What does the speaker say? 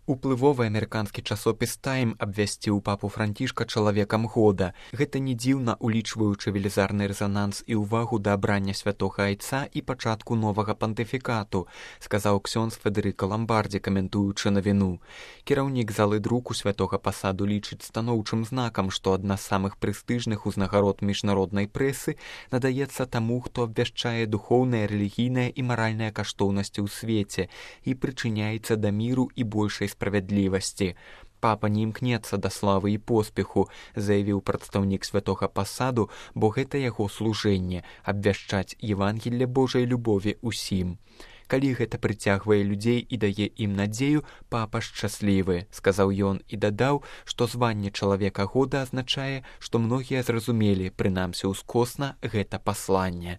Уплывовы амерыканскі часопіс «Тайм» абвясціў папу Францішка чалавекам года. Гэта не дзіўна, улічваючы велізарны рэзананс і ўвагу да абрання святога айца і пачатку новага пантыфікату, сказаў ксёндз Федэрыка Ламбардзі, каментуючы навіну. Кіраўнік залы друку святога пасаду лічыць станоўчым знакам, што адна з самых прэстыжных узнагарод міжнароднай прэсы надаецца таму, хто абвяшчае духоўныя, рэлігійныя і маральныя каштоўнасці ў свеце і прычыняецца да міру і большай справядлівасці. Папа не імкнецца да славы і поспеху, заявіў прадстаўнік святога пасаду, бо гэта яго служэнне – абвяшчаць Евангелле Божай любові ўсім. Калі гэта прыцягвае людзей і дае ім надзею, папа шчаслівы, сказаў ён і дадаў, што званне чалавека года азначае, што многія зразумелі, прынамсі ўскосна, гэта пасланне.